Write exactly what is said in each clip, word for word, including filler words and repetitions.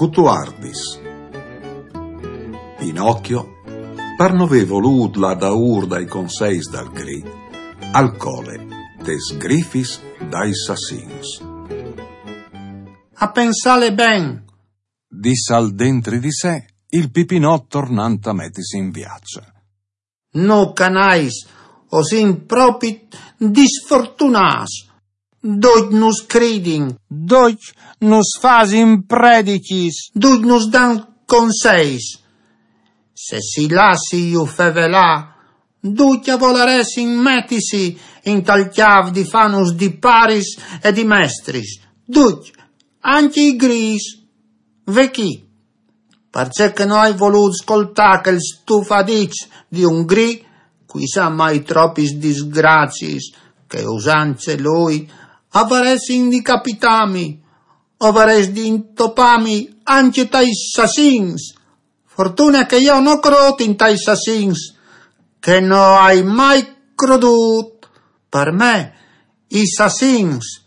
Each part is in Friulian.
Cutuardis. Pinocchio, par no vê volût lâ daûr dai conseis dal Grî, al cole tes grifis dai sassins. A pensâle ben, dissal dentri di se il Pipinot tornant a metisi in viaç. No canais, o sin propit disfortunâts. Ducj nus cridin. Ducj nus fasin predichis. Ducj nus dan conseis. Se si lassìn fevelâ, ducj a volaressin metisi intal cjâf di fânus di paris e di mestris. Ducj, ancje i grîs. Ve chi. Parcè che no ai volût scoltâ chel stufadiç di un Grî, cui sa mai tropis disgraciis che usant lui, a varessin di capitâmi, o varès di intopâmi ancje tai sassins. Fortune che jo no crôt intai sassins, che no ai mai crodût. Par me, i sassins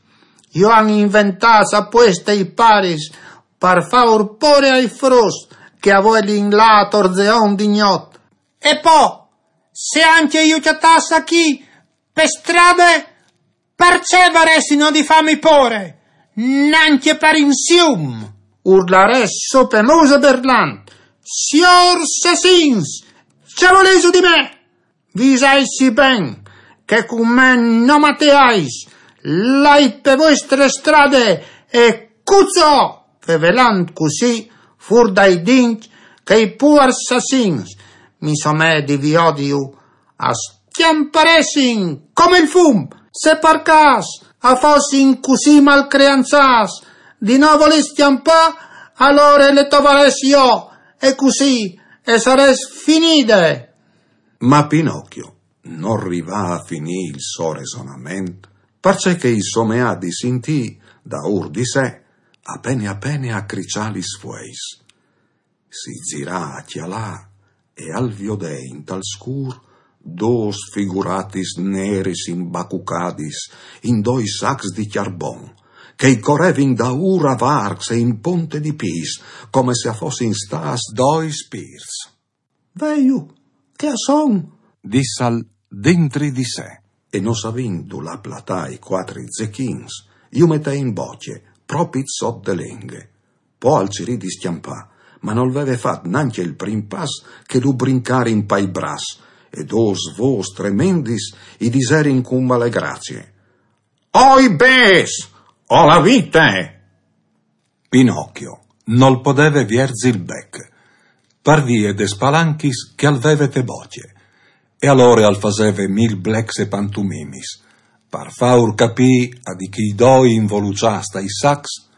ju àn inventâts a pueste i paris par fâur pôre ai fruts che a vuelin lâ a torzeon di gnot. E po, se ancje ju cjatàs achì pe strade, parcè varessino di fâmi pôre? Nancje par insium! Urlarès su pe muse berlant: Siôrs sassins, ce volêso di me? Visaitsi ben, che cun me no mateais, lait pe vuestre strade e cuçò! Fevelant cussì, fûr dai dincj che i puars sassins, mi somee di viodiju, a scjamparessin come il fum. Se par câs a fossin cussì malcreançâts di no volê scjampâ, alore le tovarès jo, e cussì e sarès finide. Ma Pinocchio nol rivà a finî il so resonament, parcè che i someà di sintî, daûr di se, a pene a pene a criçâ lis fueis. Si zirà a cjalâ e al viodè intal scûr dôs figuratis neris imbacucadis in doi sacs di cjarbon, che i corevin daûr a varcs e in ponte di pîts, come se a fossin stâts doi spirts. Veju che a son, dissal dentri di se. E no savint dulà platâ i cuatri zechins, ju metè in bocje, propit sot de lenghe. Po al cirì di scjampâ, ma nol veve fat nancje il prin pas che lu brincarin pai braçs, e dôs vôs tremendis i diserin cun male gracie: Oi bêçs, o la vite! Pinocchio nol podeve vierzi il bec, par vie des palanchis che al veve te bocje, e alore al faseve mil blecs e pantumimis, par fâur capî a di chei doi involuçâts tai sacs,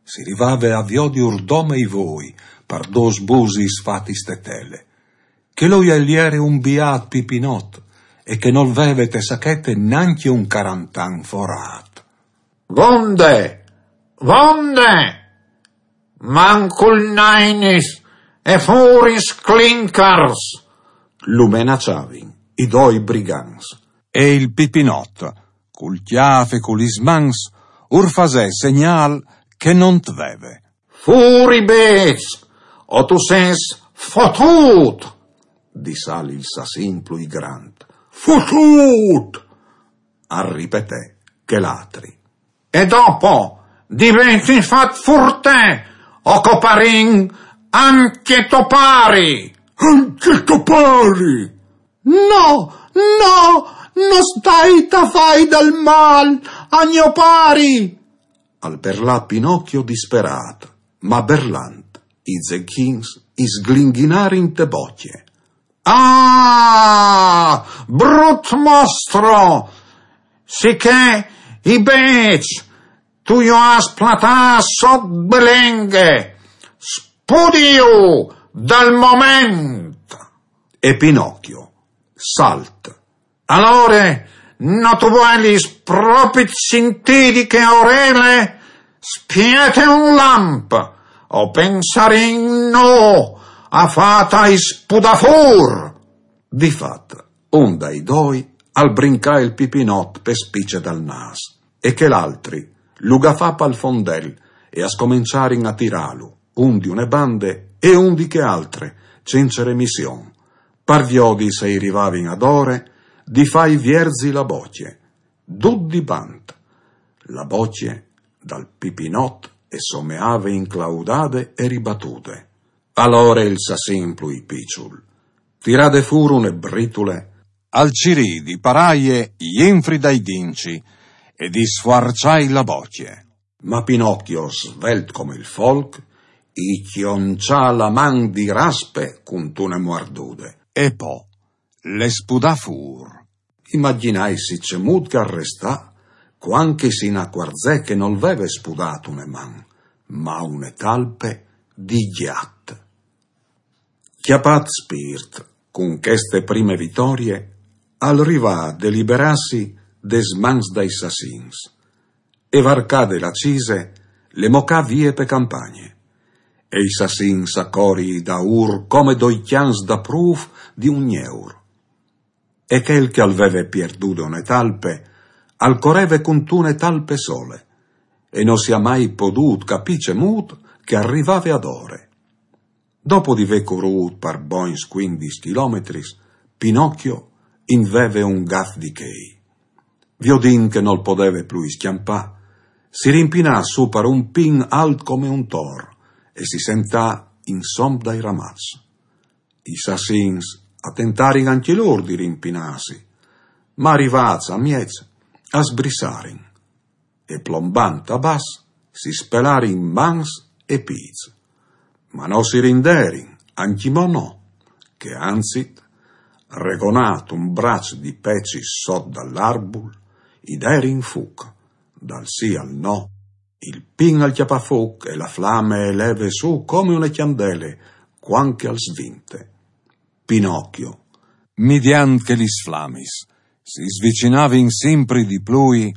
si rivave a viodiur dome i voi par dôs busis fatis te tele, che lui al jere un biât Pipinot e che nol veve te sachete nancje un carantan forât. Vonde! Vonde! Mancul nainis e fûr i sclincars! Lu menaçavin i doi brigants. E il Pipinot, cul cjâf e cu lis mans, ur fasè segnâl che no 'nt veve. Fûr i bêçs, o tu sês fotût! Dissal il sassin plui grant. Fotût! Al ripetè chel altri. E dopo, diventìn fat furtè, o coparìn ancje to pari! Ancje to pari! No, no, no stait a fâi dal mâl a gno pari! Al berlà Pinocchio disperât, ma berlant, i zechins i sglinghinarin te bocje. Ah, brut mostro! Sichè i bêçs tu ju âs platâts sot de lenghe, spudiju dal moment! E Pinocchio, salt. Alore, no tu vuelis propit sintî di chê orele? Spiete un lamp, o pensarìn nô a fâ tai spudâ fûr! Di fat, un dai doi al brincà il Pipinot pe spice dal nâs, e chel altri lu gafà pal fondel e a scomençarin a tirâlu. un di une bande e un di chê altre, cence remission, par viodi se i rivavin adore di fâi vierzi la bocje, dut di bant. La bocje dal Pipinot e someave inclaudade e ribatude. Alore il sassin plui piçul, tirade fûr une britule, al cirì di parâie jenfri dai dinci e di sfuarçâi la bocje. Ma Pinocchio, svelt come il folc, i cjonçà la man di raspe cuntune muardude. E po le spudà fûr. Imagjinaitsi cemût che al restà, cuant che si inacuarzè che nol veve spudât une man, ma une talpe di gjat. Cjapât spirt cun cheste prime vitorie, al rivà a deliberâsi des mans dai sassins e, varcade la cise, le mocà vie pe campagne. E i sassins a cori daûr come doi cjans daprûf di un gneur. E chel che al veve pierdude une talpe, al coreve cuntune talpe sole, e no si à mai podût capî cemût che al rivave adore. Dopo di vê corût par bogns cuindis chilometris, Pinocchio in veve un gaf di chei. Viodint che nol podeve plui scjampâ, si rimpinà sù par un pin alt come un tor e si sentà insom dai ramaçs. I sassins a tentarin ancje lôr di rimpinâsi, ma, rivâts a mieç, a sbrissarin e, plombant a bas, si spelarin mans e pîts. Ma no si rinderin, ancjemò no, che anzit, regonât un braç di pecis sot dal arbul, i derin fuc, dal sì al no. Il pin al cjapà fuc e la flame e leve sù come une cjandele, cuant che al svinte. Pinocchio, midiant che lis flamis si svicinavin simpri di plui,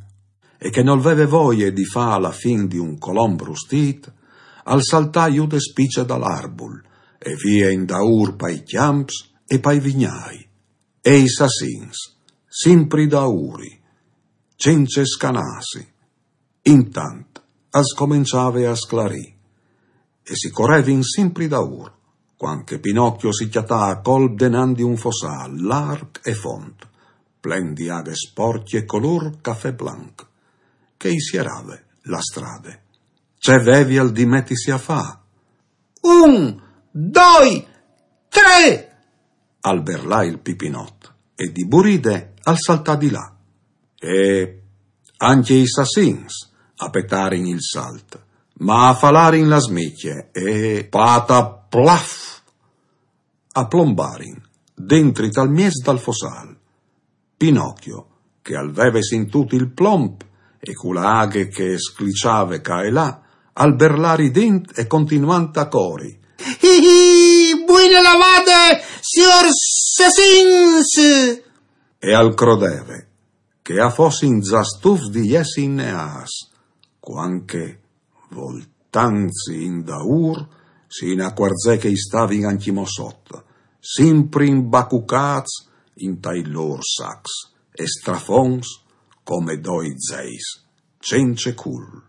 e che nol veve voie di fâ la fin di un colomb rustît, al saltà jù de spice dal arbul e vie indaûr pai cjamps e pai vignâi. E i sassins, simpri daûri, cence scanâsi, intant al scomençave a sclarî e si corevin simpri daûr, cuant che Pinocchio si cjatà a colp denant di un fossâl larc e font, plen di aghe sporcje colôr cafè blanc, che i sierave la strade. Ce vevial di metisi a fâ? Un, doi, trê! Al berlà il Pipinot e di buride al saltà di là. E ancje i sassins a petarin il salt, ma a falarin la smicje e, pataplaf, a plombarin dentri tal mieç dal fossâl. Pinocchio, che al veve sintût il plomp e cu la aghe che e scliçave ca e là, al berlà ridint e continuant a cori: Hi, hi, buine lavade, siôrs sassins! E al crodeve che a fossin za stufs di jessi inneâts, cuant che, voltantsi indaûr, si inacuarzè che i stavin ancjemò sot, simpri imbacucâts intai lôr sacs e strafonts come doi zeis cence cûl.